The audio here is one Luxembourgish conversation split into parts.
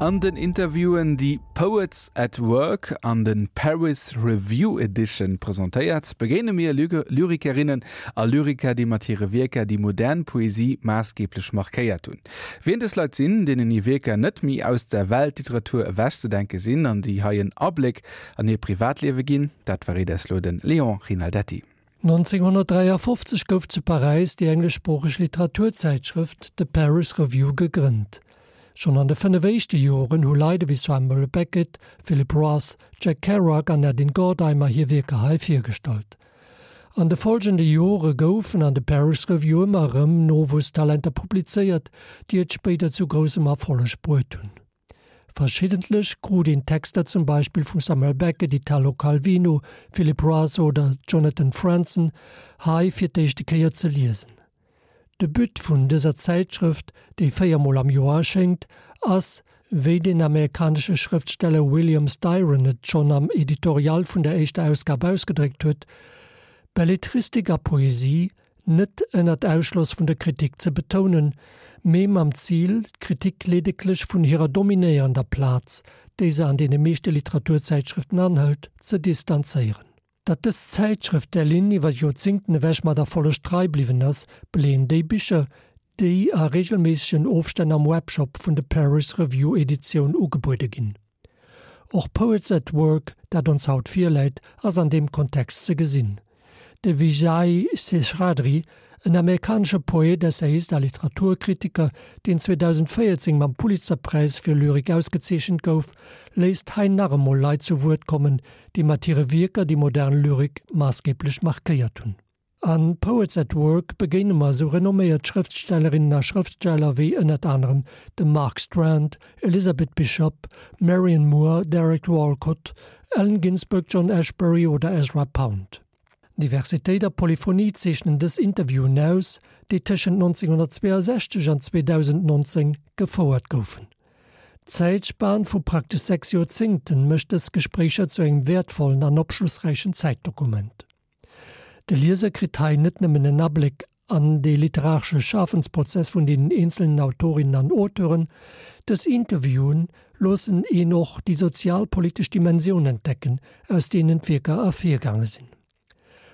An den Interviewen, déi Poets at Work an de Paris Review Edition presentéiert, begéine mir Lyrikerinnen a Lyriker, déi mat hire Wierker déi modern Poesie maassgeeblech markéiert hunn. Wien dës Leit sinn, deenen hir Wierker net méi aus der Weltliteratur ewechzedenke sinn an déi hei en Abléck an hir Privatliewe ginn, dat verréit eis lo de Léon Rinaldetti. 1953 gouf zu Paräis déi engleschsproocheg Literaturzäitschrëft The Paris Review gegrënnt. Schonn an de 5 éischte Joren hu Leit ewéi Samuel Beckett, Philip Roth, Jack Kerouac an Nadine Gordimer hir Wierker hei virgestallt. An de folgende Jore goufen an de Paris Review ëmmer erëm Nowuesstalenter publizéiert, déi et spéider zu groussem Erfolleg bruet hunn. Verschiddentlech krut een Texter zum Beispill vum Samuel Beckett, Italo Calvino, Philip Roth oder Jonathan Franzen hei fir d'éischte Kéier ze liesen. De But vun dëser Zäitschrëft, déi véiermol am Joer erschéngt, ass, wéi den amerikanesche Schrëftsteller William Styron et schonn am Editorial vun der éischter Ausgab ausgedréckt huet, Belletristik a Poesie net ënnert Ausschloss vun der Kritik ze betounen, mee mam Zil, d'Kritik ledeglech vun hirer dominéierender Plaz, déi se an deene meeschte Literaturzäitschrëften anhëlt, ze distanzéieren. Datt dës Zäitschrëft där Linn iwwer Joerzéngten ewech mat Erfolleg trei bliwwen ass, beleeën déi Bicher, déi a reegelméissegen Ofstänn am Webshop vun de Paris Review Editioun ugebuede ginn. Och Poets at Work, dat ons haut virläit, ass an deem Kontext ze gesinn. De Vijay Seshadri, en amerikanesche Poet, Essayist a Literaturkritiker, deen 2014 mam Pulitzerpräis fir Lyrik ausgezeechent gouf, léisst hei nach emol Leit zu Wuert kommen, déi mat hire Wierker déi modern Lyrik maassgeeblech markéiert hunn. A Poets at Work begéine mer esou renomméiert Schrëftstellerinnen a Schrëftsteller wéi ënnert anerem dem Mark Strand, Elizabeth Bishop, Marianne Moore, Derek Walcott, Allen Ginsberg, John Ashbery oder Ezra Pound. Diversitéit a Polyphonie zeechnen dës Interviewen aus, déi tëschent 1962 an 2019 gefouert goufen. D'Zäitspan vu praktesch 6 Joerzéngten mécht dës Gespréicher zu engem wäertvollen an opschlossräichen Zäitdokument. De Lieser kritt hei net nëmmen en Abléck an dee literaresche Schafensprozess vun deenen eenzelnen Autorinnen an Auteuren, dës Interviewen loossen een och déi sozial-politesch Dimensioun entdecken, aus deenen d'Wierker ervirgaange sinn.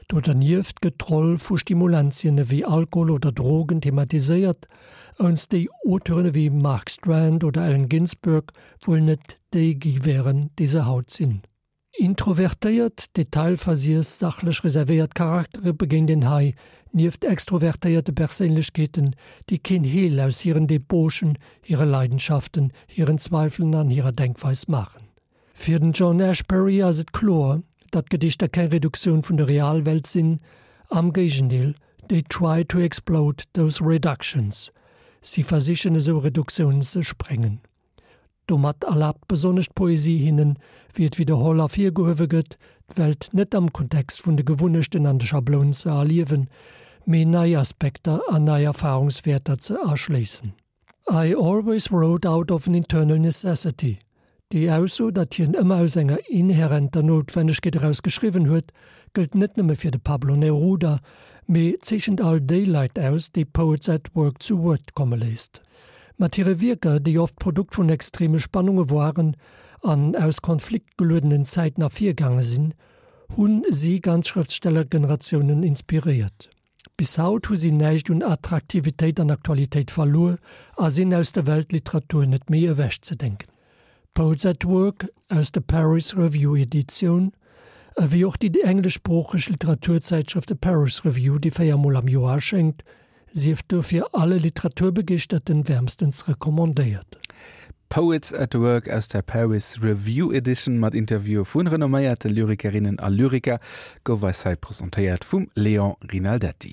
Do dernieft gëtt d'Roll vu Stimulantien ewéi Alkohol oder Drogen thematiséiert, ounst déi Auteuren ewéi Mark Strand oder Allen Ginsberg wuel net déi gi wären, déi se haut sinn. Introvertéiert, detailversiess, sachlech reservéiert Charaktere begéint een hei, nieft extrovertéierte Perséinlechkeeten, déi keen Heel aus hiren Debauchen, hire Leidenschaften, hiren Zweifelen an hirer Denkweis maachen. Fir den John Ashbery ass et kloer, datt Gedichter keng Reduktioun vun der Realwelt sinn, am Géigendeel, they try to explode those reductions, si versichen esou Reduktiounen ze sprengen. Domat erlaabt besonnesch d'Poesie hinnen, wéi et widderholl ervirgehuewe gëtt, d'Welt net am Kontext vun de Gewunnechten an de Schablounen ze erliewen, mee nei Aspekter an nei Erfarungswäerter ze erschléissen. I always wrote out of an internal necessity. Déi Ausso, datt hien ëmmer aus enger inhärenter Noutwennegkeet eraus geschriwwen huet, gëllt net nëmme fir de Pablo Neruda, mee zeechent all déi Leit aus, déi Poets at Work zu Wuert komme léisst. Mat hire Wierker, déi oft d'Produkt vun extreme Spannunge woaren an aus konfliktgeluedenen Zäiten ervirgaange sinn, hu si ganz Schrëftstellergeneratiounen inspiréiert. Bis haut hu si näischt un Attraktivitéit an Aktualitéit verluer a sinn aus der Weltliteratur net méi ewechzedenken. Poets at Work aus der Paris Review Editioun, ewéi och déi engleschsproocheg Literaturzäitschrëft The Paris Review, déi 4 mol am Joer erschéngt, sief dofir alle Literaturbegeeschterten wärmstens recommandéiert. Poets at Work aus der Paris Review Edition mat Interviewe vu renomméierte Lyrikerinnen a Lyriker gouf eis hei presentéiert vum Léon Rinaldetti.